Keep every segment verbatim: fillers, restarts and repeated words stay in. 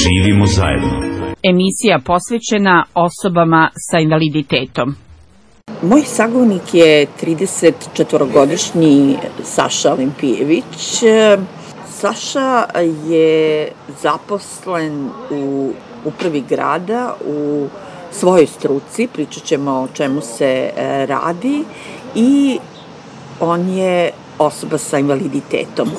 Živimo zajedno. Emisija posvećena osobama sa invaliditetom. Moj sagovornik je tridesetčetvorogodišnji Saša Olimpijević. Saša je zaposlen u upravi grada u svojoj struci, pričat ćemo o čemu se radi, i on je osoba sa invaliditetom.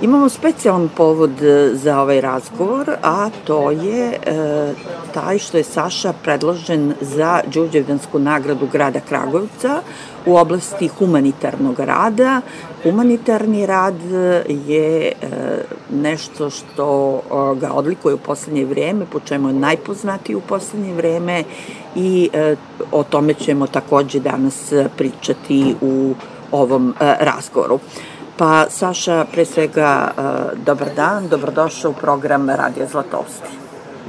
Imamo specijalan povod za ovaj razgovor, a to je e, taj što je Saša predložen za Đurđevdansku nagradu grada Kragujevca u oblasti humanitarnog rada. Humanitarni rad je e, nešto što e, ga odlikuje u poslednje vreme, po čemu je najpoznatiji u poslednje vreme, i e, o tome ćemo takođe danas pričati u ovom e, razgovoru. Pa, Saša, pre svega, dobar dan, dobrodošao u program Radio Zlatousti.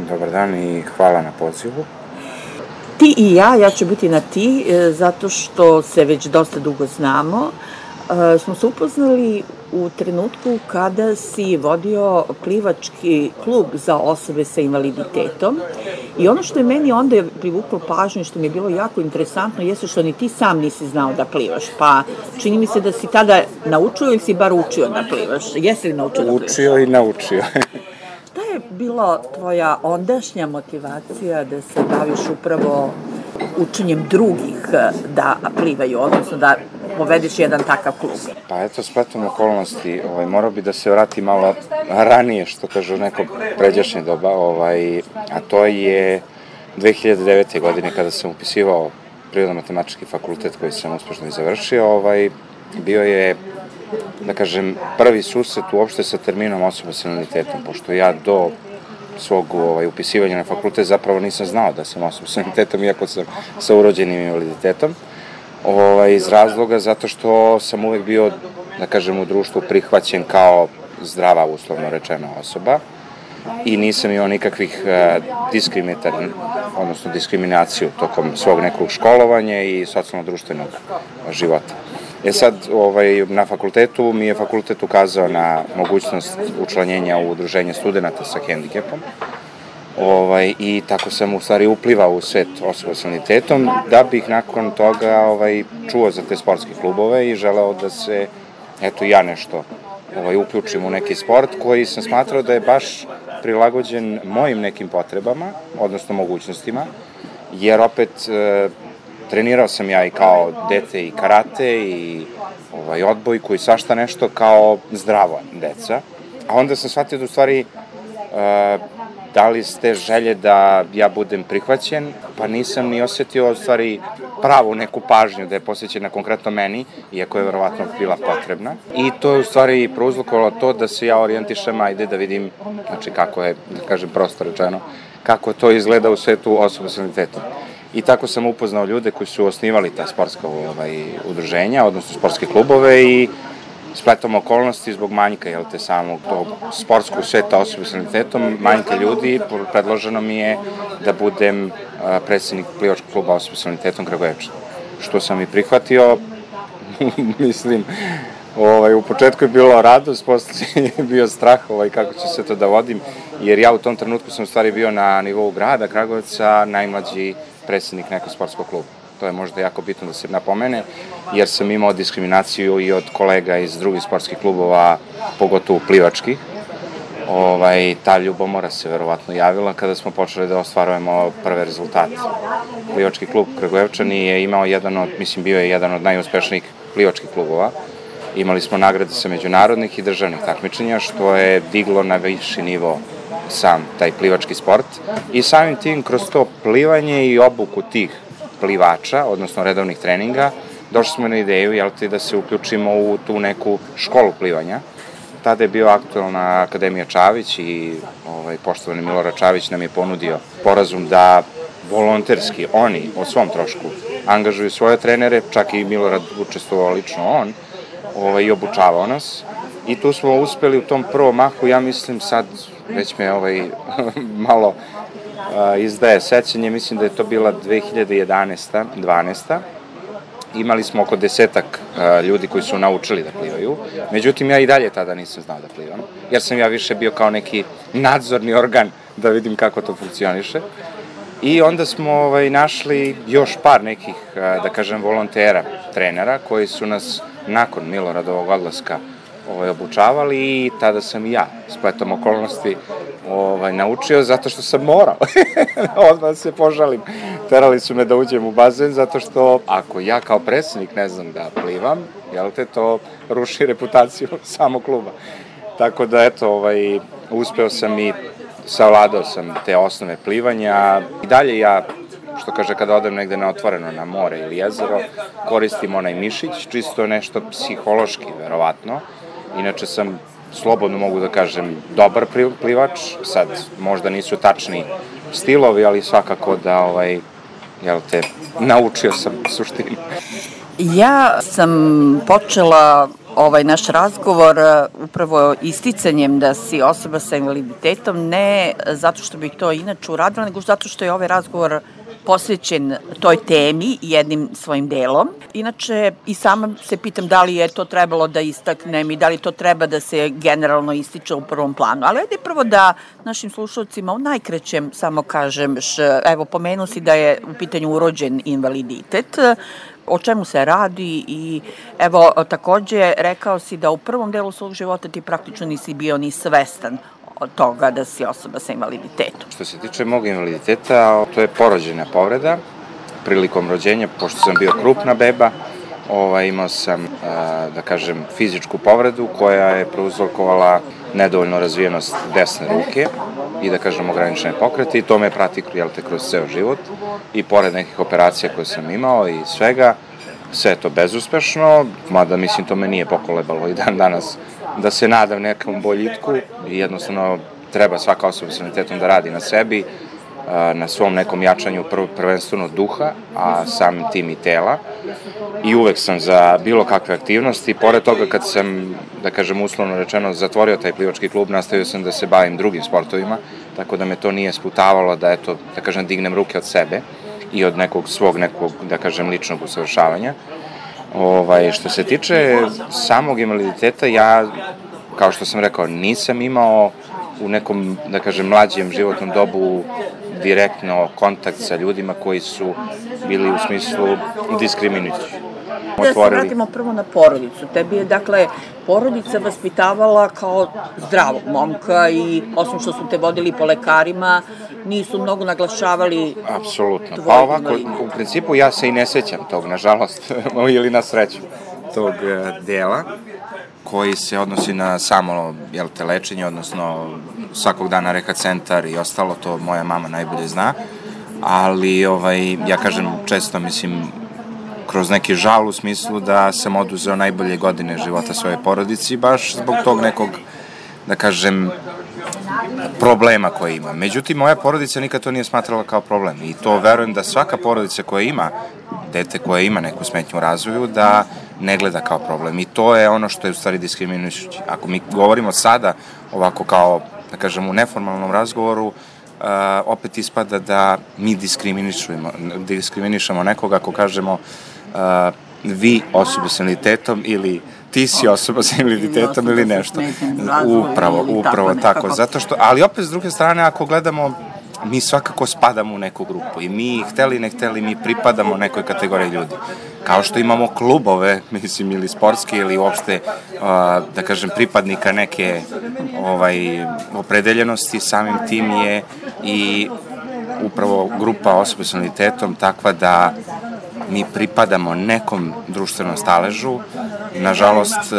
Dobar dan i hvala na pozivu. Ti i ja, ja ću biti na ti, zato što se već dosta dugo znamo. Smo se upoznali u trenutku kada si vodio plivački klub za osobe sa invaliditetom, i ono što je meni onda privuklo pažnju, što mi je bilo jako interesantno, jeste što ni ti sam nisi znao da plivaš, pa čini mi se da si tada naučio ili si bar učio da plivaš. Jesi li naučio da plivaš? Učio i naučio. Da je bila tvoja ondašnja motivacija da se baviš upravo učenjem drugih da plivaju, odnosno da povedeš jedan takav klub? Pa eto, spletom okolnosti, ovaj, morao bi da se vrati malo ranije, što kažu neko pređašnje doba, ovaj, a to je dve hiljade devete. godine kada sam upisivao Prirodno-matematički fakultet koji sam uspešno i završio. Ovaj, bio je, da kažem, prvi susret uopšte sa terminom osoba sa invaliditetom, pošto ja do svog ovaj, upisivanja na fakultet zapravo nisam znao da sam osoba sa invaliditetom, iako sam sa urođenim invaliditetom. Ovaj, iz razloga zato što sam uvek bio, da kažem, u društvu prihvaćen kao zdrava, uslovno rečena osoba, i nisam imao nikakvih uh, diskriminatornih, odnosno diskriminaciju tokom svog nekog školovanja i socijalno-društvenog života. E sad, ovaj, na fakultetu mi je fakultet ukazao na mogućnost učlanjenja u udruženje studenta sa hendikepom. Ovaj, i tako sam u stvari uplivao u svet osoba sa invaliditetom, da bih nakon toga ovaj, čuo za te sportske klubove i želeo da se, eto, ja nešto ovaj, uključim u neki sport koji sam smatrao da je baš prilagođen mojim nekim potrebama, odnosno mogućnostima, jer opet e, trenirao sam ja i kao dete i karate i ovaj, odbojku i svašta nešto kao zdrava deca, a onda sam shvatio da u stvari e, da li ste želje da ja budem prihvaćen, pa nisam ni osetio u stvari pravu neku pažnju da je posvećena konkretno meni, iako je verovatno bila potrebna. I to je u stvari prouzrokovalo to da se ja orijentišem, ajde da vidim, znači kako je, da kažem prosto rečeno, kako to izgleda u svetu osoba sa invaliditetom. I tako sam upoznao ljude koji su osnivali ta sportska ovaj, udruženja, odnosno sportske klubove, i spletom okolnosti zbog manjka, jel te, samog tog sportskog sveta osobe sa invaliditetom, manjka ljudi, predloženo mi je da budem predsednik plivačkog kluba osobe sa invaliditetom Kragujevčana, što sam i prihvatio. Mislim, ovaj, u početku je bilo radost, posle je bio strah ovaj, kako ću se to da vodim, jer ja u tom trenutku sam u stvari bio na nivou grada Kragujevca najmlađi predsednik nekog sportskog kluba. To je možda jako bitno da se napomene, jer sam imao diskriminaciju i od kolega iz drugih sportskih klubova, pogotovo plivačkih. Ovaj, ta ljubomora se verovatno javila kada smo počeli da ostvarujemo prve rezultate. Plivački klub Kragujevčani je imao jedan od, mislim, bio je jedan od najuspešnijih plivačkih klubova. Imali smo nagrade sa međunarodnih i državnih takmičenja, što je diglo na viši nivo sam taj plivački sport. I samim tim, kroz to plivanje i obuku tih plivača, odnosno redovnih treninga, došli smo na ideju, jel te, da se uključimo u tu neku školu plivanja. Tada je bio aktualna Akademija Čavić i ovaj, poštovani Milorad Čavić nam je ponudio sporazum da volonterski oni o svom trošku angažuju svoje trenere, čak i Milorad učestvovao lično on, ovaj, i obučavao nas. I tu smo uspeli u tom prvom mahu, ja mislim sad, već me ovaj, malo a, izdaje sećanje, mislim da je to bila dve hiljade jedanaesta dvanaesta Imali smo oko desetak a, ljudi koji su naučili da plivaju, međutim ja i dalje tada nisam znao da plivam, jer sam ja više bio kao neki nadzorni organ da vidim kako to funkcioniše. I onda smo ovaj, našli još par nekih, da kažem, volontera, trenera, koji su nas nakon Miloradovog odlaska ovaj, obučavali i tada sam i ja spletom okolnosti ovaj, naučio zato što sam morao. Odmah se požalim. Terali su me da uđem u bazen zato što ako ja kao predsednik ne znam da plivam, jel te, to ruši reputaciju samog kluba. Tako da, eto, ovaj, uspeo sam i savladao sam te osnove plivanja. I dalje ja, što kaže, kada odem negde na otvoreno, na more ili jezero, koristim onaj mišić, čisto nešto psihološki, verovatno. Inače sam, slobodno mogu da kažem, dobar plivač, sad možda nisu tačni stilovi, ali svakako da, ovaj, jel te, naučio sam suštinu. Ja sam počela ovaj naš razgovor upravo isticanjem da si osoba sa invaliditetom, ne zato što bih to inače uradila, nego zato što je ovaj razgovor posvećen toj temi jednim svojim delom. Inače, i sama se pitam da li je to trebalo da istaknem i da li to treba da se generalno ističe u prvom planu. Ali ajde prvo da našim slušalcima u najkraćem samo kažem, š, evo, pomenuo si da je u pitanju urođen invaliditet, o čemu se radi i evo, takođe rekao si da u prvom delu svog života ti praktično nisi bio ni svestan od toga da si osoba sa invaliditetom. Što se tiče mog invaliditeta, to je porođena povreda. Prilikom rođenja, pošto sam bio krupna beba, ovaj, imao sam, da kažem, fizičku povredu koja je prouzrokovala nedovoljno razvijenost desne ruke i, da kažem, ograničene pokrete i to me prati, jel te, kroz ceo život i pored nekih operacija koje sam imao i svega, sve je to bezuspešno, mada mislim to me nije pokolebalo i dan danas da se nadam nekom boljitku i jednostavno treba svaka osoba sa invaliditetom da radi na sebi, na svom nekom jačanju prvenstveno duha, a samim tim i tela. I uvek sam za bilo kakve aktivnosti. Pored toga kad sam, da kažem uslovno rečeno, zatvorio taj plivački klub, nastavio sam da se bavim drugim sportovima, tako da me to nije sputavalo da, eto, da kažem, dignem ruke od sebe i od nekog svog, nekog, da kažem, ličnog usavršavanja. Ovaj, što se tiče samog invaliditeta, ja, kao što sam rekao, nisam imao u nekom, da kažem, mlađem životnom dobu direktno kontakt sa ljudima koji su bili u smislu diskriminujući. Da se vratimo prvo na porodicu. Tebi je, dakle, porodica vaspitavala kao zdravog momka i osim što su te vodili po lekarima, nisu mnogo naglašavali... Apsolutno. Pa ovako, u principu ja se i ne sećam tog, nažalost, ili na sreću, tog dela koji se odnosi na samo, jel te, lečenje, odnosno svakog dana rehab centar i ostalo, to moja mama najbolje zna, ali, ovaj, ja kažem često, mislim, kroz neki žal u smislu da sam oduzeo najbolje godine života svoje porodici, baš zbog tog nekog, da kažem, problema koje ima. Međutim, moja porodica nikad to nije smatrala kao problem i to verujem da svaka porodica koja ima dete koje ima neku smetnju u razvoju, da ne gleda kao problem. I to je ono što je u stvari diskriminujući. Ako mi govorimo sada ovako kao, da kažem, u neformalnom razgovoru, Uh, opet ispada da mi diskriminišemo, diskriminišemo nekoga ako kažemo uh, vi osoba sa invaliditetom ili ti si osoba sa invaliditetom ili nešto. Upravo, upravo tako. Zato što, ali opet s druge strane, ako gledamo, mi svakako spadamo u neku grupu i mi, hteli ne hteli, mi pripadamo nekoj kategoriji ljudi. Kao što imamo klubove, mislim, ili sportske ili uopšte, da kažem, pripadnika neke ovaj, opredeljenosti, samim tim je i upravo grupa osoba s invaliditetom takva da mi pripadamo nekom društvenom staležu. Nažalost,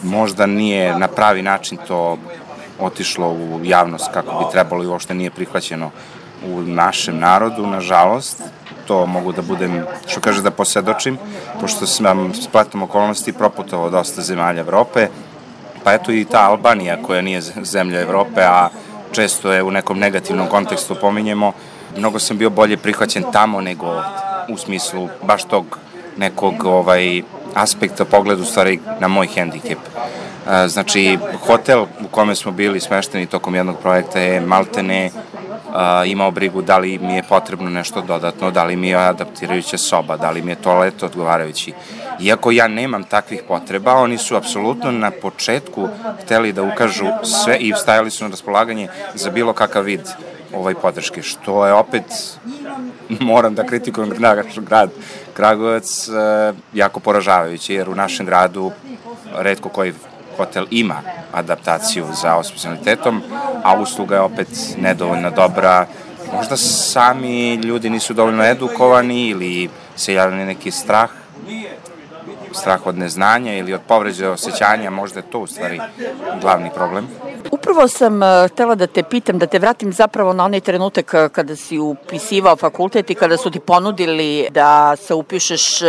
možda nije na pravi način to otišlo u javnost kako bi trebalo i uopšte nije prihvaćeno u našem narodu, nažalost. To mogu da budem, što kaže, da posvedočim, pošto sam spletom okolnosti proputovao dosta zemalja Evrope, pa eto i ta Albanija koja nije zemlja Evrope, a često je u nekom negativnom kontekstu pominjemo, mnogo sam bio bolje prihvaćen tamo nego ovde, u smislu baš tog nekog ovaj, aspekta pogleda u stvari na moj hendikep. Znači, hotel u kome smo bili smešteni tokom jednog projekta je maltene imao brigu da li mi je potrebno nešto dodatno, da li mi je adaptirajuća soba, da li mi je toalet odgovarajući. Iako ja nemam takvih potreba, oni su apsolutno na početku hteli da ukažu sve i stajali su na raspolaganje za bilo kakav vid ovaj podrške, što je opet, moram da kritikujem grad Kragujevac, jako poražavajuće, jer u našem gradu retko koji hotel ima adaptaciju za osobe s invaliditetom, a usluga je opet nedovoljno dobra. Možda sami ljudi nisu dovoljno edukovani ili se javlja neki strah, strah od neznanja ili od povređe osjećanja, možda je to u stvari glavni problem. Upravo sam htela da te pitam, da te vratim zapravo na onaj trenutak kada si upisivao fakultet i kada su ti ponudili da se upišeš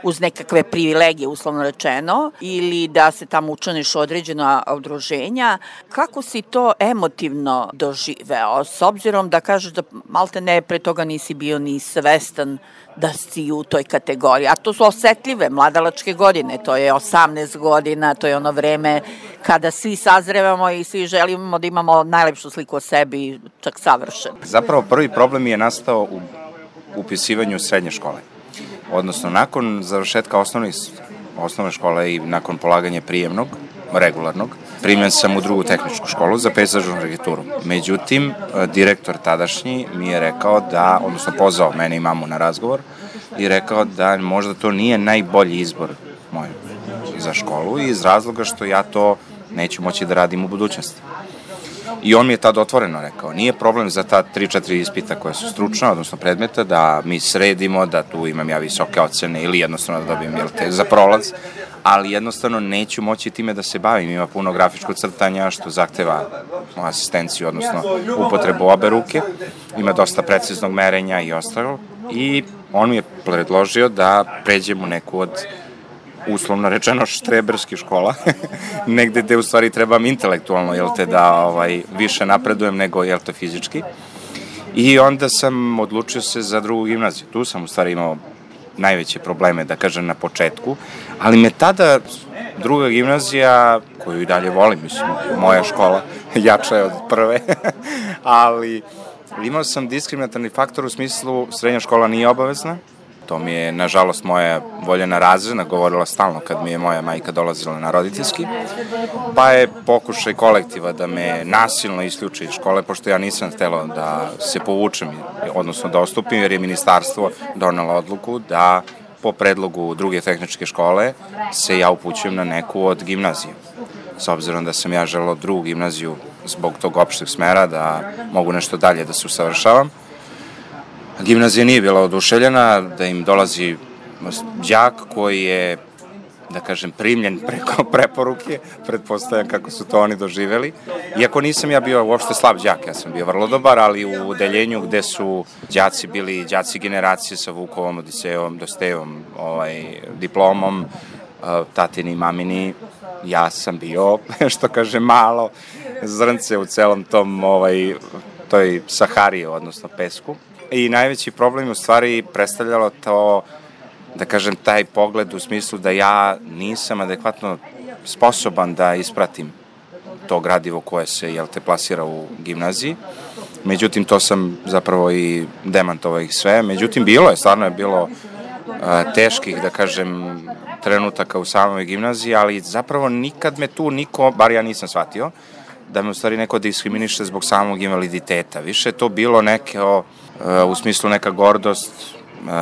uz nekakve privilegije, uslovno rečeno, ili da se tamo učlaniš u određena udruženja. Kako si to emotivno doživeo, s obzirom da kažeš da malte ne pre toga nisi bio ni svestan da si u toj kategoriji, a to su osetljive mladalačke godine, to je osamnaest godina, to je ono vreme kada svi sazrevamo i svi želimo da imamo najlepšu sliku o sebi, čak savršen. Zapravo prvi problem je nastao u upisivanju srednje škole, odnosno nakon završetka osnovnih, osnovne škole i nakon polaganja prijemnog, regularnog, primljen sam u drugu tehničku školu za pejzažnu arhitekturu. Međutim, direktor tadašnji mi je rekao da, odnosno pozvao mene i mamu na razgovor i rekao da možda to nije najbolji izbor moj za školu iz razloga što ja to neću moći da radim u budućnosti. I on mi je tad otvoreno rekao, nije problem za ta tri četiri ispita koja su stručna, odnosno predmeta, da mi sredimo, da tu imam ja visoke ocene ili jednostavno da dobijem jel te za prolaz, ali jednostavno neću moći time da se bavim. Ima puno grafičko crtanja što zahteva asistenciju, odnosno upotrebu obe ruke, ima dosta preciznog merenja i ostalo. I on mi je predložio da pređem u neku od, uslovno rečeno, štreberskih škola, negde gde u stvari trebam intelektualno, jel te, da ovaj, više napredujem nego, jel te, fizički. I onda sam odlučio se za drugu gimnaziju. Tu sam u stvari imao najveće probleme, da kažem, na početku, ali me tada druga gimnazija, koju i dalje volim, mislim, moja škola, jača je od prve, ali imao sam diskriminatorni faktor u smislu srednja škola nije obavezna. To mi je, nažalost, moja voljena razredna govorila stalno kad mi je moja majka dolazila na roditeljski, pa je pokušaj kolektiva da me nasilno isključi iz škole, pošto ja nisam htela da se povučem, odnosno da ostupim, jer je ministarstvo donelo odluku da po predlogu druge tehničke škole se ja upućujem na neku od gimnazija. S obzirom da sam ja želeo drugu gimnaziju zbog tog opšteg smera, da mogu nešto dalje da se usavršavam. Gimnazija nije bila oduševljena, da im dolazi đak koji je, da kažem, primljen preko preporuke, pretpostavljam kako su to oni doživeli. Iako nisam ja bio uopšte slab đak, ja sam bio vrlo dobar, ali u odeljenju gde su đaci bili đaci generacije sa Vukovom, Odisejevom, Dostejevom ovaj, diplomom, tatini i mamini, ja sam bio, što kaže, malo zrnce u celom tom, ovaj, toj Sahari, odnosno pesku. I najveći problem u stvari predstavljalo to, da kažem, taj pogled u smislu da ja nisam adekvatno sposoban da ispratim to gradivo koje se, jel te, plasira u gimnaziji. Međutim, to sam zapravo i demantovao ih sve. Međutim, bilo je, stvarno je bilo a, teških, da kažem, trenutaka u samoj gimnaziji, ali zapravo nikad me tu niko, bar ja nisam shvatio, da me u stvari neko diskriminiše zbog samog invaliditeta. Više je to bilo neke, u smislu neka gordost,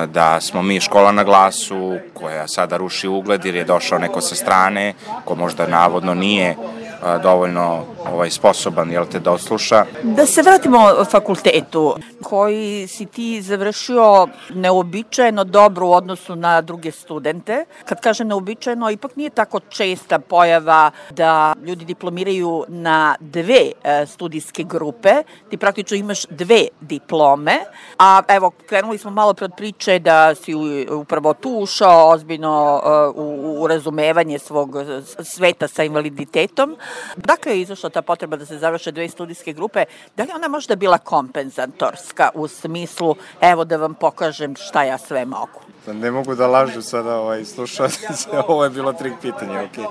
da smo mi škola na glasu, koja sada ruši ugled jer je došao neko sa strane, ko možda navodno nije dovoljno ovaj, sposoban, jel te, da odsluša. Da se vratimo fakultetu, koji si ti završio neobičajeno dobro u odnosu na druge studente. Kad kažem neobičajeno, ipak nije tako česta pojava da ljudi diplomiraju na dve e, studijske grupe. Ti praktično imaš dve diplome, a evo, krenuli smo malo pre od priče da si upravo tu ušao ozbiljno e, u, u razumevanje svog sveta sa invaliditetom, Dakle je izašla ta potreba da se završe dve studijske grupe, da li ona možda bila kompenzatorska u smislu, evo da vam pokažem šta ja sve mogu? Ne mogu da lažu sada ovaj, slušalci, ovo je bilo trik pitanje, ok.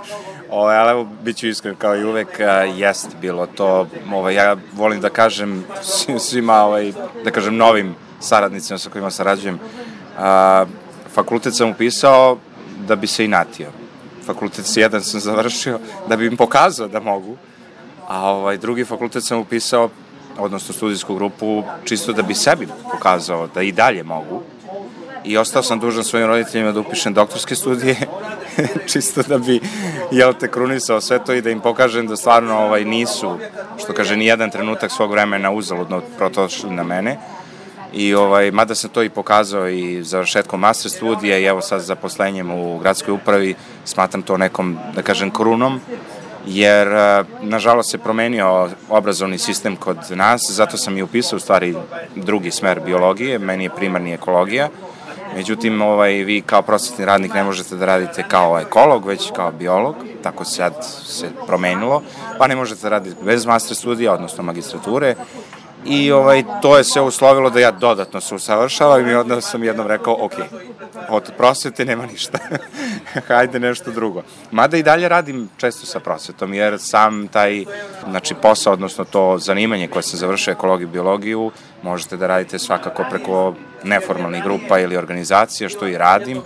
Ovaj, ali evo, bit ću iskren, kao i uvek, uh, jest bilo to, ovaj, ja volim da kažem svima, ovaj, da kažem novim saradnicima sa kojima sarađujem, uh, fakultet sam upisao da bi se inatio. Fakultet jedan sam završio da bi im pokazao da mogu, a ovaj, drugi fakultet sam upisao, odnosno studijsku grupu, čisto da bi sebi pokazao da i dalje mogu. I ostao sam dužan svojim roditeljima da upišem doktorske studije, čisto da bi, jel te, krunisao sve to i da im pokažem da stvarno ovaj, nisu, što kaže, ni jedan trenutak svog vremena uzaludno protočili na mene. I ovaj, mada sam to i pokazao i završetkom master studija i evo sad zaposlenjem u gradskoj upravi, smatram to nekom, da kažem, krunom, jer nažalost se promenio obrazovni sistem kod nas, zato sam i upisao u stvari drugi smer biologije, meni je primarni ekologija. Međutim, ovaj, vi kao prosvetni radnik ne možete da radite kao ekolog, već kao biolog, tako sad se promenilo, pa ne možete da radite bez master studija, odnosno magistrature, i ovaj, to je se uslovilo da ja dodatno se usavršavam i onda sam jednom rekao, ok, od prosvete nema ništa, hajde nešto drugo. Mada i dalje radim često sa prosvetom, jer sam taj, znači, posao, odnosno to zanimanje koje sam završio, ekologiju i biologiju, možete da radite svakako preko neformalnih grupa ili organizacija, što i radim.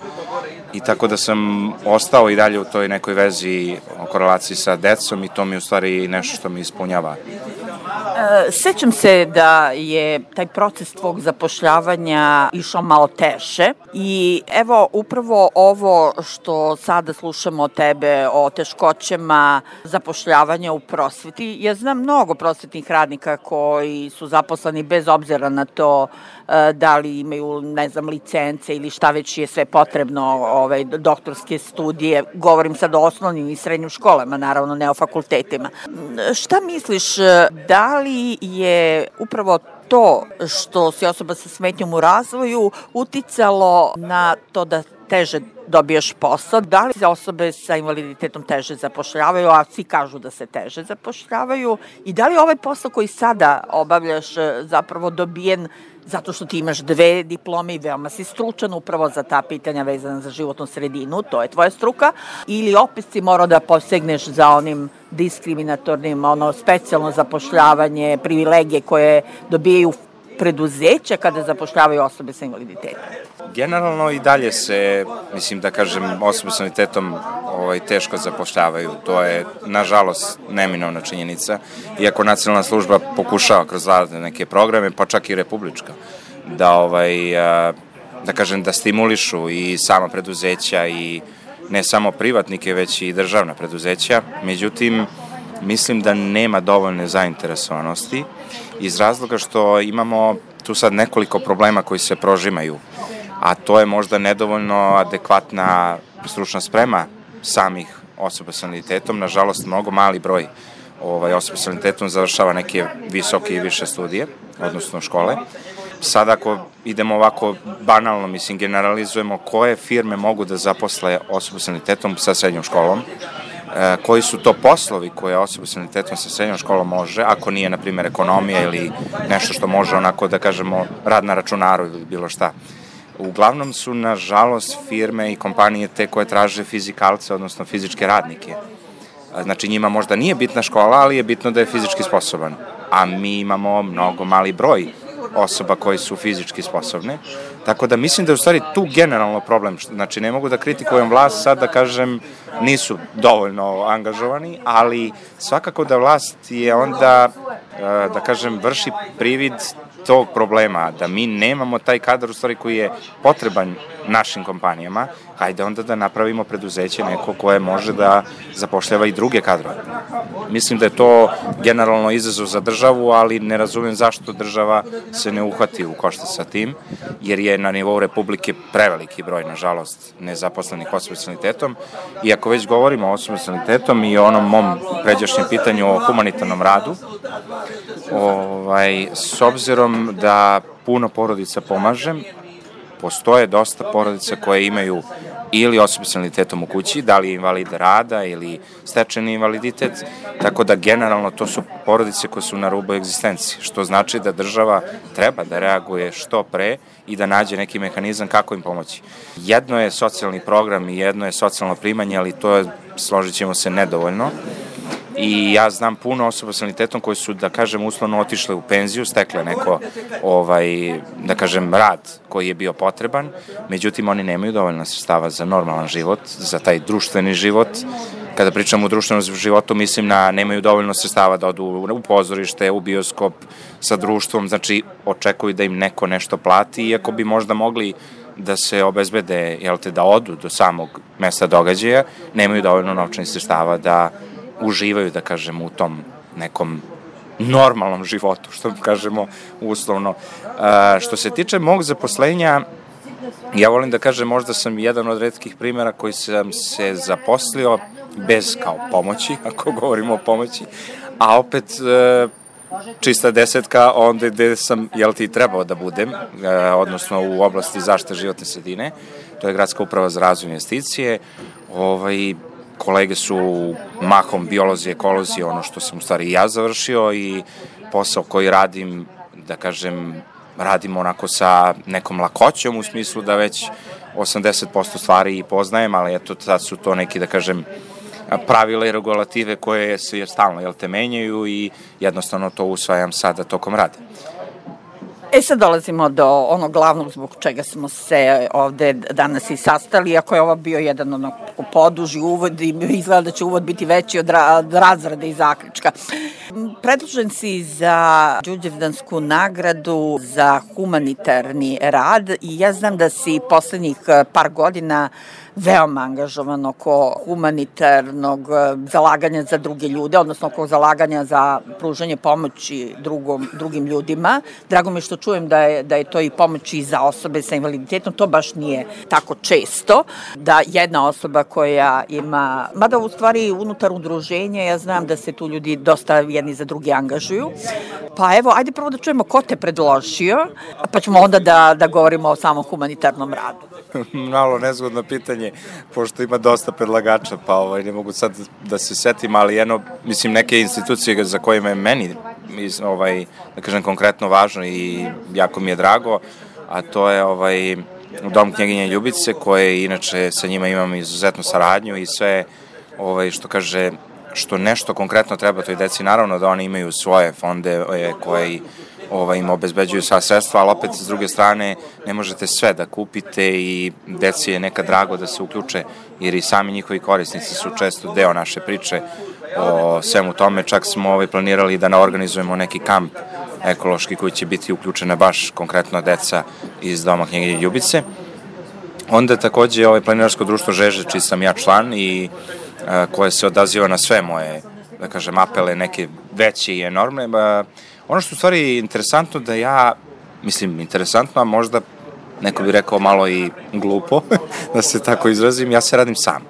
I tako da sam ostao i dalje u toj nekoj vezi o korelaciji sa decom i to mi je u stvari nešto što mi ispunjava. E, sećam se da je taj proces tvog zapošljavanja išao malo teže i evo upravo ovo što sada slušamo od tebe o teškoćama zapošljavanja u prosveti. Ja znam mnogo prosvetnih radnika koji su zaposleni bez obzira na to e, da li imaju, ne znam, licence ili šta već je sve potrebno, ovaj, doktorske studije. Govorim sad o osnovnim i srednjim školama, naravno ne o fakultetima. Šta misliš, da li je upravo to što si osoba sa smetnjom u razvoju uticalo na to da teže dobiješ posao? Da li se osobe sa invaliditetom teže zapošljavaju, a svi kažu da se teže zapošljavaju? I da li ovaj posao koji sada obavljaš zapravo dobijen zato što ti imaš dve diplome i veoma si stručan upravo za ta pitanja vezana za životnu sredinu, to je tvoja struka, ili opet si morao da posegneš za onim diskriminatornim, ono specijalno zapošljavanje, privilegije koje dobijaju preduzeća kada zapošljavaju osobe sa invaliditetom? Generalno i dalje se, mislim da kažem, osobe sa invaliditetom ovaj, teško zapošljavaju. To je, nažalost, neminovna činjenica. Iako nacionalna služba pokušava kroz razne neke programe, pa čak i republička, da, ovaj, da kažem, da stimulišu i sama preduzeća i ne samo privatnike, već i državna preduzeća. Međutim, mislim da nema dovoljne zainteresovanosti iz razloga što imamo tu sad nekoliko problema koji se prožimaju, a to je možda nedovoljno adekvatna stručna sprema samih osoba sa invaliditetom. Nažalost, mnogo mali broj ovaj, osoba sa invaliditetom završava neke visoke i više studije, odnosno škole. Sad ako idemo ovako banalno, mislim, generalizujemo koje firme mogu da zaposle osobu sa invaliditetom sa srednjom školom, e, koji su to poslovi koje osoba sa invaliditetom sa srednjom školom može, ako nije, na primjer, ekonomija ili nešto što može onako da kažemo rad na računaru ili bilo šta. Uglavnom su, nažalost, firme i kompanije te koje traže fizikalce, odnosno fizičke radnike. Znači, njima možda nije bitna škola, ali je bitno da je fizički sposoban. A mi imamo mnogo mali broj osoba koji su fizički sposobne. Tako da mislim da je u stvari tu generalno problem. Znači, ne mogu da kritikujem vlast sad da kažem nisu dovoljno angažovani, ali svakako da vlast je onda, da kažem, vrši privid tog problema, da mi nemamo taj kadar u stvari koji je potreban našim kompanijama, hajde onda da napravimo preduzeće neko koje može da zapošljava i druge kadrove. Mislim da je to generalno izazov za državu, ali ne razumem zašto država se ne uhvati u koštac sa tim, jer je na nivou Republike preveliki broj, nažalost, nezaposlenih osoba sa invaliditetom. I ako već govorimo o osobama sa invaliditetom i o onom mom pređašnjem pitanju o humanitarnom radu, ovaj, s obzirom da puno porodica pomažem, postoje dosta porodica koje imaju ili osobe sa invaliditetom u kući, da li je invalid rada ili stečeni invaliditet, tako da generalno to su porodice koje su na rubu egzistencije, što znači da država treba da reaguje što pre i da nađe neki mehanizam kako im pomoći. Jedno je socijalni program i jedno je socijalno primanje, ali to je, složit ćemo se, nedovoljno. I ja znam puno osoba sa invaliditetom koji su, da kažem, uslovno otišle u penziju, stekle neko, ovaj, da kažem, rad koji je bio potreban, međutim oni nemaju dovoljno sredstava za normalan život, za taj društveni život. Kada pričam o društvenom životu, mislim na nemaju dovoljno sredstava da odu u pozorište, u bioskop sa društvom, znači očekuju da im neko nešto plati, iako bi možda mogli da se obezbede, jel te, da odu do samog mesta događaja, nemaju dovoljno novčanih sredstava da uživaju, da kažemo, u tom nekom normalnom životu, što kažemo uslovno. A, što se tiče mog zaposlenja, ja volim da kažem, možda sam jedan od retkih primjera koji sam se zaposlio bez kao pomoći, ako govorimo o pomoći, a opet e, čista desetka onda gde sam, jel ti, trebao da budem, e, odnosno u oblasti zaštite životne sredine, to je Gradska uprava za razvoj investicije. ovaj, kolege su mahom biolozi, ekolozi, ono što sam u stvari i ja završio, i posao koji radim, da kažem, radim onako sa nekom lakoćom, u smislu da već osamdeset posto stvari i poznajem, ali eto, sad su to neki, da kažem, pravila i regulative koje se stalno, jel te, menjaju i jednostavno to usvajam sada tokom rada. E sad dolazimo do onog glavnog zbog čega smo se ovde danas i sastali, iako je ovo bio jedan onog poduži uvod i izgleda da će uvod biti veći od, ra od razrade i zaključka. Predložen si za Đurđevdansku nagradu za humanitarni rad i ja znam da si poslednjih par godina veoma angažovan oko humanitarnog zalaganja za druge ljude, odnosno oko zalaganja za pružanje pomoći drugom, drugim ljudima. Drago mi je što čujem da je, da je to i pomoć i za osobe sa invaliditetom, to baš nije tako često, da jedna osoba koja ima, mada u stvari unutar udruženja, ja znam da se tu ljudi dosta jedni za drugi angažuju. Pa evo, ajde prvo da čujemo ko te predložio, pa ćemo onda da, da govorimo o samom humanitarnom radu. Malo nezgodno pitanje, pošto ima dosta predlagača, pa ovaj, ne mogu sad da se setim, ali jedno, mislim, neke institucije za kojima je meni, ovaj, da kažem, konkretno važno i jako mi je drago, a to je ovaj, Dom knjeginje Ljubice, koje inače sa njima imam izuzetnu saradnju i sve, ovaj, što kaže, što nešto konkretno treba toj deci, naravno da oni imaju svoje fonde koje ovaj, im obezbeđuju sva sredstva, ali opet s druge strane ne možete sve da kupite i deci je nekad drago da se uključe, jer i sami njihovi korisnici su često deo naše priče o svemu tome. Čak smo ovaj, planirali da organizujemo neki kamp ekološki koji će biti uključena baš konkretno deca iz Doma knjeginje Ljubice. Onda takođe ovaj, planinarsko društvo Žeže, čiji sam ja član i a, koje se odaziva na sve moje, da kažem, apele, neke veće i enormne. Ba, ono što u stvari interesantno da ja, mislim, interesantno, a možda neko bi rekao malo i glupo, da se tako izrazim, ja se radim sam.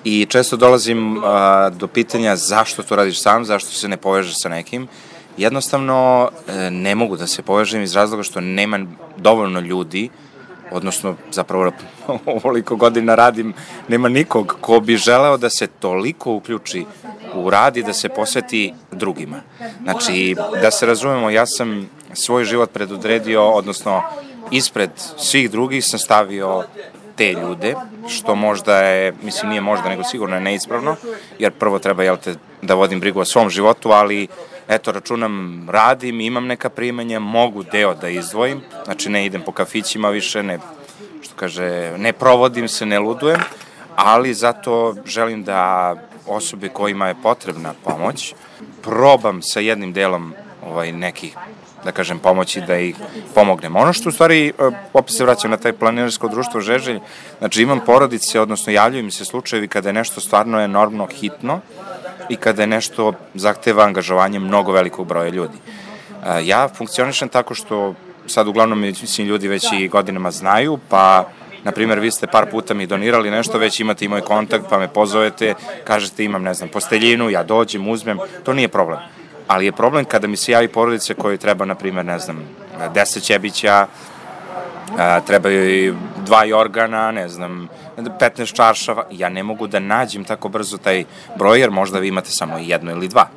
I često dolazim a, do pitanja zašto to radiš sam, zašto se ne povežeš sa nekim. Jednostavno e, ne mogu da se povežem iz razloga što nema dovoljno ljudi, odnosno zapravo ovoliko godina radim, nema nikog ko bi želeo da se toliko uključi u rad i da se posveti drugima. Znači, da se razumemo, ja sam svoj život predodredio, odnosno ispred svih drugih sam stavio te ljude, što možda je, mislim nije možda, nego sigurno je neispravno, jer prvo treba, jel te, da vodim brigu o svom životu, ali eto, računam, radim, imam neka primanja, mogu deo da izdvojim, znači ne idem po kafićima više, ne, što kaže, ne provodim se, ne ludujem, ali zato želim da osobe kojima je potrebna pomoć, probam sa jednim delom ovaj, nekih, da kažem, pomoći da ih pomognem. Ono što u stvari, opet se vraćam na taj planinarsko društvo Žeželj, znači imam porodice, odnosno javljaju mi se slučajevi kada je nešto stvarno enormno hitno i kada je nešto zahteva angažovanje mnogo velikog broja ljudi. Ja funkcionišem tako što sad uglavnom, mislim, ljudi već i godinama znaju, pa na primjer, vi ste par puta mi donirali nešto, već imate i moj kontakt, pa me pozovete, kažete imam, ne znam, posteljinu, ja dođem, uzmem, to nije problem. Ali je problem kada mi se javi porodice koji treba, na primjer, ne znam, deset ćebića, a, trebaju i dva jorgana, ne znam, petnaest čaršava. Ja ne mogu da nađem tako brzo taj broj, jer možda vi imate samo jedno ili dva.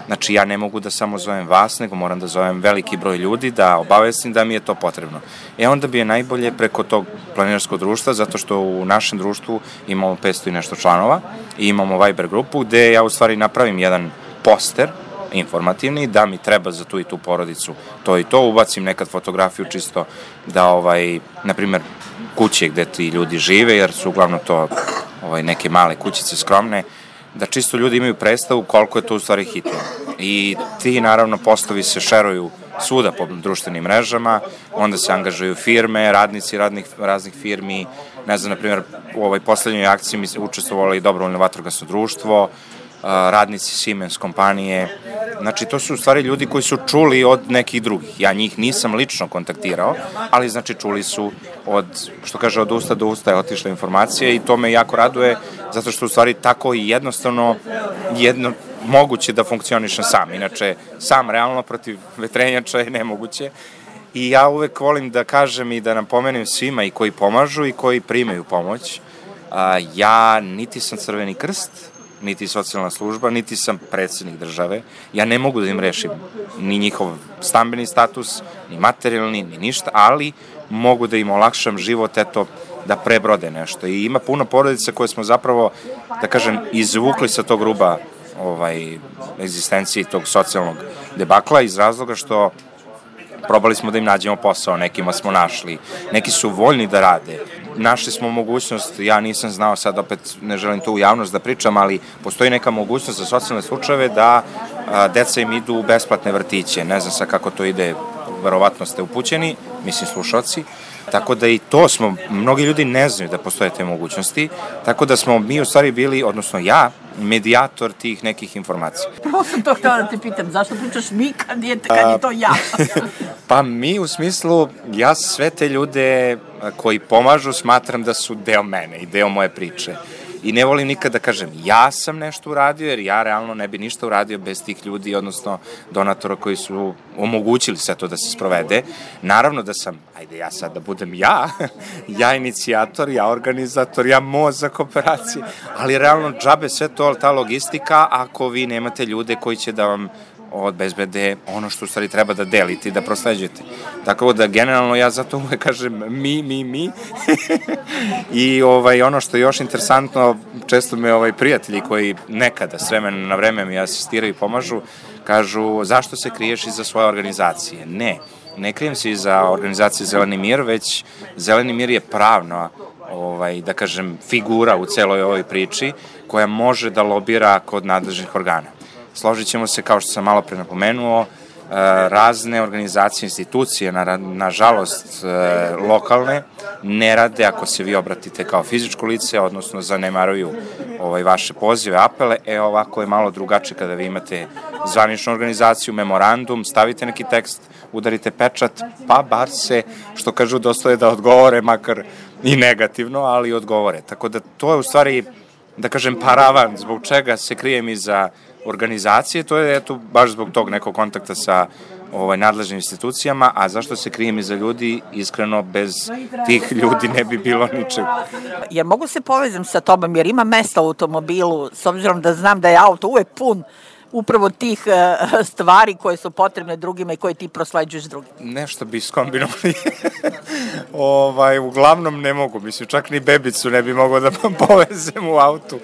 Znači, ja ne mogu da samo zovem vas, nego moram da zovem veliki broj ljudi, da obavestim da mi je to potrebno. E onda bi je najbolje preko tog planinarskog društva, zato što u našem društvu imamo petsto i nešto članova i imamo Viber grupu gde ja u stvari napravim jedan poster informativni, da mi treba za tu i tu porodicu to i to, ubacim nekad fotografiju čisto da, ovaj, na primer, kuće gde ti ljudi žive, jer su uglavnom to ovaj, neke male kućice skromne, da čisto ljudi imaju predstavu koliko je to u stvari hitno. I ti, naravno, postovi se šeruju svuda po društvenim mrežama, onda se angažuju firme, radnici radnih, raznih firmi, ne znam, na primjer, u ovoj poslednjoj akciji mi učestvovalo i dobrovoljno vatrogasno društvo, radnici Siemens kompanije, znači to su u stvari ljudi koji su čuli od nekih drugih. Ja njih nisam lično kontaktirao, ali znači čuli su od, što kaže, od usta do usta je otišla informacija i to me jako raduje, zato što u stvari tako i jednostavno jedno moguće da funkcionišem sam. Inače, sam realno protiv vetrenjača je nemoguće. I ja uvek volim da kažem i da napomenem svima i koji pomažu i koji primaju pomoć. Ja niti sam Crveni krst, niti socijalna služba, niti sam predsednik države. Ja ne mogu da im rešim ni njihov stambeni status, ni materijalni, ni ništa, ali mogu da im olakšam život, eto, da prebrode nešto. I ima puno porodica koje smo zapravo, da kažem, izvukli sa tog ruba ovaj, egzistencije tog socijalnog debakla iz razloga što probali smo da im nađemo posao, nekima smo našli, neki su voljni da rade. Našli smo mogućnost, ja nisam znao, sad opet ne želim to u javnost da pričam, ali postoji neka mogućnost za socijalne slučajeve da a, deca im idu u besplatne vrtiće. Ne znam sad kako to ide, verovatno ste upućeni, mislim slušalci. Tako da i to smo, mnogi ljudi ne znaju da postoje te mogućnosti, tako da smo mi u stvari bili, odnosno ja, medijator tih nekih informacija. Prvo sam to htjela da te pitam, zašto pričaš mi kad je, kad je to ja? Pa mi u smislu, ja sve te ljude koji pomažu smatram da su deo mene i deo moje priče. I ne volim nikad da kažem ja sam nešto uradio, jer ja realno ne bi ništa uradio bez tih ljudi, odnosno donatora koji su omogućili sve to da se sprovede. Naravno da sam, ajde ja sad da budem ja, ja inicijator, ja organizator, ja mozak operacije, ali realno džabe sve to, ta logistika, ako vi nemate ljude koji će da vam obezbede ono što u stvari treba da delite i da prosleđujete. Tako da generalno ja zato uvek kažem mi, mi, mi. I ovaj, ono što je još interesantno, često me ovaj, prijatelji koji nekada s vremena na vreme mi asistiraju i pomažu, kažu zašto se kriješ iza svoje organizacije? Ne, ne krijem se iza organizacije Zeleni mir, već Zeleni mir je pravno, ovaj, da kažem, figura u celoj ovoj priči koja može da lobira kod nadležnih organa. Složit ćemo se, kao što sam malo pre napomenuo, razne organizacije, institucije, na, nažalost lokalne, ne rade ako se vi obratite kao fizičko lice, odnosno zanemaruju ovaj, vaše pozive, apele. E ovako je malo drugačije kada vi imate zvaničnu organizaciju, memorandum, stavite neki tekst, udarite pečat, pa bar se, što kažu, dostoje da odgovore, makar i negativno, ali odgovore. Tako da to je u stvari, da kažem, paravan zbog čega se krijem iza organizacije, to je eto baš zbog tog nekog kontakta sa ovaj, nadležnim institucijama, a zašto se krijem iza ljudi, iskreno, bez tih ljudi ne bi bilo ničeg. Jer mogu se povezam sa tobom, jer ima mesta u automobilu, s obzirom da znam da je auto uvek pun upravo tih uh, stvari koje su potrebne drugima i koje ti prosleđuješ drugima. Nešto bi skombinovali. ovaj, uglavnom ne mogu, mislim, čak ni bebicu ne bi mogao da povezem u autu.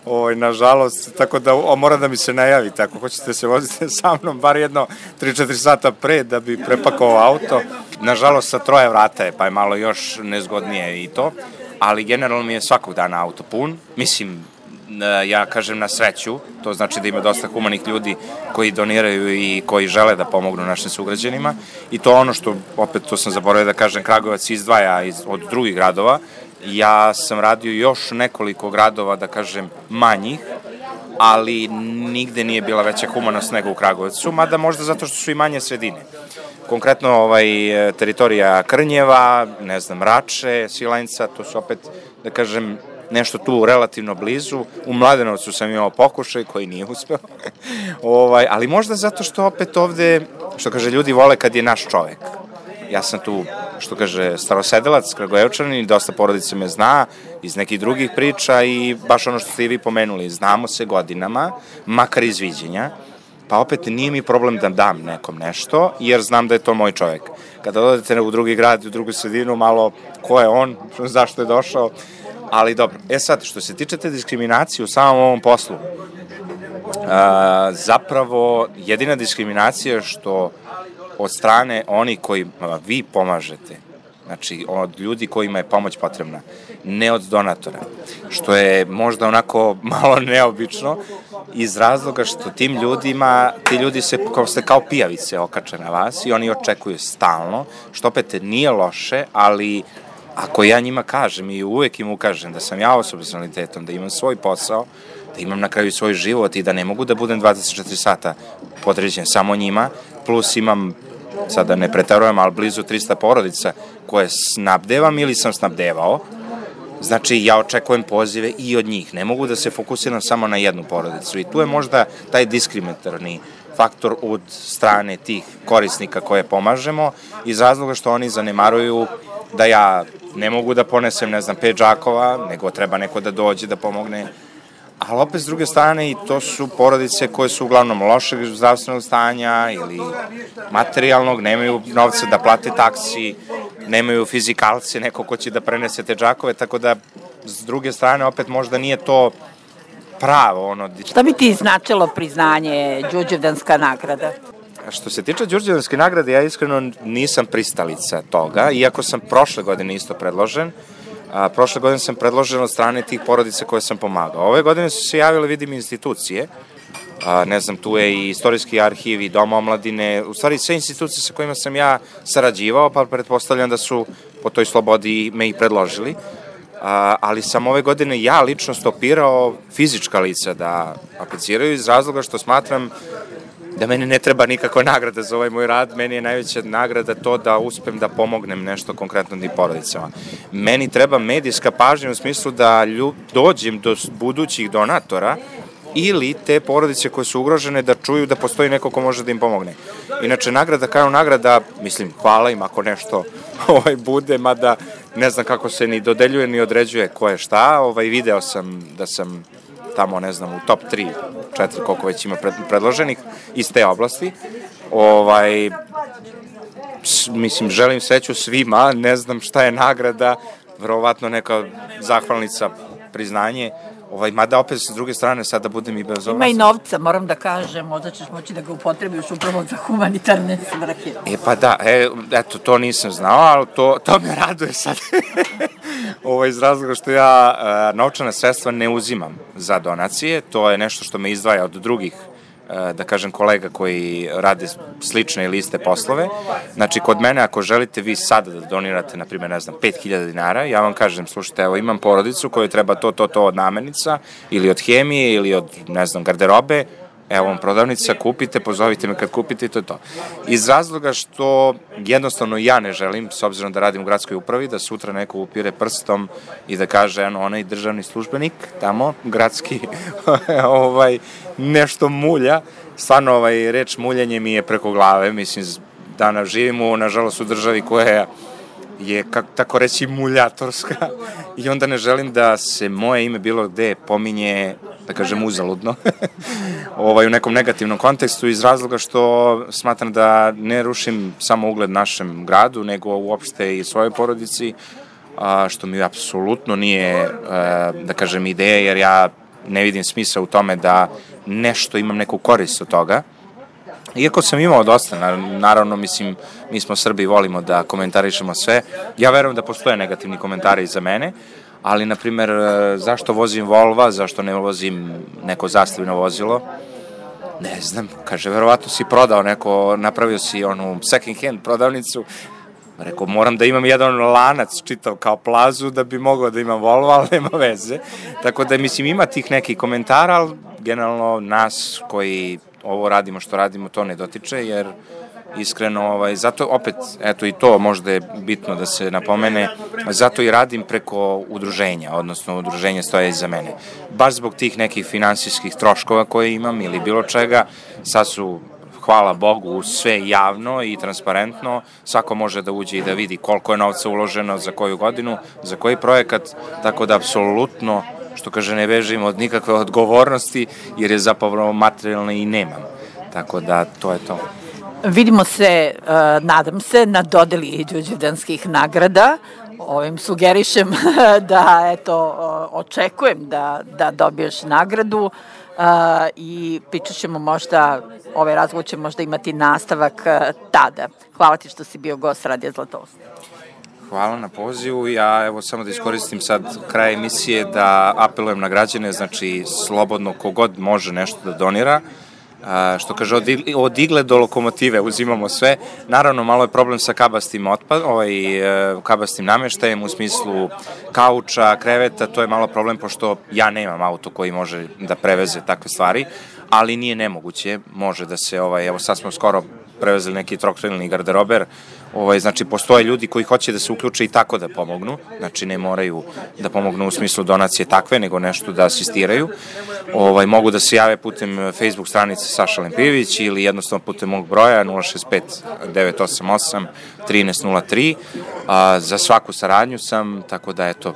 Ovaj, nažalost, tako da o, mora da mi se najavi, tako hoćete se vozite sa mnom, bar jedno tri četiri sata pre da bi prepakao auto. Nažalost, sa troje vrata je, pa je malo još nezgodnije i to, ali generalno mi je svakog dana auto pun, mislim, ja kažem na sreću, to znači da ima dosta humanih ljudi koji doniraju i koji žele da pomognu našim sugrađanima i to ono što, opet to sam zaboravio da kažem, Kragujevac izdvaja iz, od drugih gradova. Ja sam radio još nekoliko gradova, da kažem, manjih, ali nigde nije bila veća humanost nego u Kragujevcu, mada možda zato što su i manje sredine. Konkretno ovaj, teritorija Krnjeva, ne znam, Rače, Svilajnca, to su opet, da kažem, nešto tu relativno blizu. U Mladenovcu sam imao pokušaj koji nije uspeo. ovaj, ali možda zato što opet ovde, što kaže, ljudi vole kad je naš čovek. Ja sam tu što kaže, starosedelac, Kragujevčanin, dosta porodica me zna iz nekih drugih priča i baš ono što ste i vi pomenuli, znamo se godinama, makar iz viđenja, pa opet nije mi problem da dam nekom nešto, jer znam da je to moj čovek. Kada odete u drugi grad, u drugu sredinu, malo ko je on, zašto je došao, ali dobro. E sad, što se tiče te diskriminacije u samom ovom poslu, a, zapravo jedina diskriminacija je što od strane oni koji vi pomažete, znači od ljudi kojima je pomoć potrebna, ne od donatora, što je možda onako malo neobično iz razloga što tim ljudima, ti ljudi se kao, se kao pijavice okače na vas i oni očekuju stalno, što opet nije loše, ali ako ja njima kažem i uvek im ukažem da sam ja osoba s invaliditetom, da imam svoj posao, da imam na kraju svoj život i da ne mogu da budem dvadeset četiri sata podređen samo njima, plus imam, sad da ne pretarujem, ali blizu trista porodica koje snabdevam ili sam snabdevao, znači ja očekujem pozive i od njih, ne mogu da se fokusiram samo na jednu porodicu i tu je možda taj diskriminatorni faktor od strane tih korisnika koje pomažemo iz razloga što oni zanemaruju da ja ne mogu da ponesem, ne znam, pet džakova, nego treba neko da dođe da pomogne. Ali opet s druge strane i to su porodice koje su uglavnom lošeg zdravstvenog stanja ili materijalnog, nemaju novca da plate taksi, nemaju fizikalce, neko ko će da prenese te džakove, tako da s druge strane opet možda nije to pravo. Ono... Šta bi ti značilo priznanje Đurđevdanska nagrada? Što se tiče Đurđevdanske nagrade, ja iskreno nisam pristalica toga, iako sam prošle godine isto predložen. A, prošle godine sam predložen od strane tih porodica koje sam pomagao. Ove godine su se javile, vidim, institucije, a, ne znam, tu je i Istorijski arhiv i Dom omladine, u stvari sve institucije sa kojima sam ja sarađivao, pa pretpostavljam da su po toj slobodi me i predložili. A, ali sam ove godine ja lično stopirao fizička lica da apliciraju iz razloga što smatram da meni ne treba nikakva nagrada za ovaj moj rad, meni je najveća nagrada to da uspem da pomognem nešto konkretno tim porodicama. Meni treba medijska pažnja u smislu da ljub, dođem do budućih donatora ili te porodice koje su ugrožene da čuju da postoji neko ko može da im pomogne. Inače, nagrada kao nagrada, mislim, hvala im ako nešto ovaj, bude, mada ne znam kako se ni dodeljuje ni određuje ko je šta, ovaj, video sam da sam tamo, ne znam, u top tri, četiri, koliko već ima predloženih iz te oblasti. Ovaj, mislim, želim sreću svima, ne znam šta je nagrada, verovatno neka zahvalnica, priznanje, ovaj, mada opet s druge strane sada budem i bezobrazan. Ima i novca, moram da kažem, možda ćeš moći da ga upotrebiš upravo za humanitarne svrhe. E pa da, e, eto, to nisam znao, ali to, to me raduje sad. Ovo iz razloga što ja e, novčana sredstva ne uzimam za donacije, to je nešto što me izdvaja od drugih, e, da kažem, kolega koji rade slične ili iste poslove. Znači, kod mene, ako želite vi sada da donirate, na primjer, ne znam, pet hiljada dinara, ja vam kažem, slušajte, evo, imam porodicu kojoj treba to, to, to od namirnica, ili od hemije, ili od, ne znam, garderobe, evo vam prodavnica, kupite, pozovite me kad kupite i to je to. Iz razloga što jednostavno ja ne želim, s obzirom da radim u gradskoj upravi, da sutra neko upire prstom i da kaže, eno, onaj državni službenik, tamo, gradski, ovaj, nešto mulja. Stvarno, ovaj, reč muljanje mi je preko glave, mislim, danas živimo, nažalost, u državi koja je, kako tako reći, muljatorska i onda ne želim da se moje ime bilo gde pominje, da kažem, uzaludno, ovaj, u nekom negativnom kontekstu iz razloga što smatram da ne rušim samo ugled našem gradu, nego uopšte i svojoj porodici, a, što mi apsolutno nije, a, da kažem, ideja, jer ja ne vidim smisla u tome da nešto imam neku korist od toga. Iako sam imao dosta, naravno, mislim, mi smo Srbi i volimo da komentarišemo sve, ja verujem da postoje negativni komentari za mene, ali, na primer, zašto vozim Volva, zašto ne vozim neko zastavino vozilo, ne znam, kaže, verovatno si prodao neko, napravio si onu second hand prodavnicu, rekao, moram da imam jedan lanac čitav kao plazu da bi mogao da imam Volvo, ali nema veze, tako da, mislim, ima tih nekih komentara, ali generalno nas koji ovo radimo što radimo, to ne dotiče, jer iskreno, ovaj, zato opet, eto i to možda je bitno da se napomene, zato i radim preko udruženja, odnosno udruženje stoje iza mene. Baš zbog tih nekih finansijskih troškova koje imam ili bilo čega, sad su, hvala Bogu, sve javno i transparentno, svako može da uđe i da vidi koliko je novca uloženo za koju godinu, za koji projekat, tako da apsolutno, što kaže, ne bežim od nikakve odgovornosti, jer je zapravo materijalne i nemam. Tako da, to je to. Vidimo se, nadam se, na dodeli Đurđevdanskih nagrada. Ovim sugerišem da, eto, očekujem da, da dobiješ nagradu i pričat ćemo možda, ovaj razgovor će možda imati nastavak tada. Hvala ti što si bio gost Radija Zlatousta. Hvala na pozivu. Ja evo samo da iskoristim sad kraj emisije da apelujem na građane, znači slobodno kogod može nešto da donira. Što kaže, od igle do lokomotive uzimamo sve. Naravno, malo je problem sa kabastim otpad, ovaj, kabastim nameštajem u smislu kauča, kreveta, to je malo problem pošto ja nemam auto koji može da preveze takve stvari, ali nije nemoguće, može da se, ovaj, evo sad smo skoro prevezeli neki trokrilni garderober, ovaj, znači postoje ljudi koji hoće da se uključe i tako da pomognu, znači ne moraju da pomognu u smislu donacije takve, nego nešto da asistiraju, ovaj, mogu da se jave putem Facebook stranice Saša Lempijević ili jednostavno putem mog broja nula šest pet devet osam osam jedan tri nula tri, a, za svaku saradnju sam, tako da eto,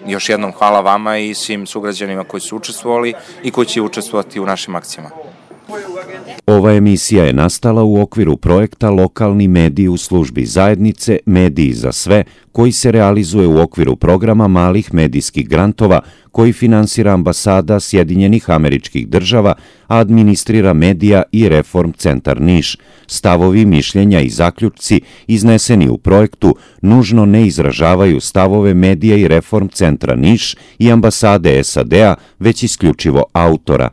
još jednom hvala vama i svim sugrađanima koji su učestvovali i koji će učestvovati u našim akcijama. Ova emisija je nastala u okviru projekta Lokalni mediji u službi zajednice Mediji za sve, koji se realizuje u okviru programa malih medijskih grantova koji finansira Ambasada Sjedinjenih Američkih Država, a administrira Medija i Reform centar Niš. Stavovi, mišljenja i zaključci izneseni u projektu nužno ne izražavaju stavove Medija i Reform centra Niš i Ambasade S A D-a, već isključivo autora.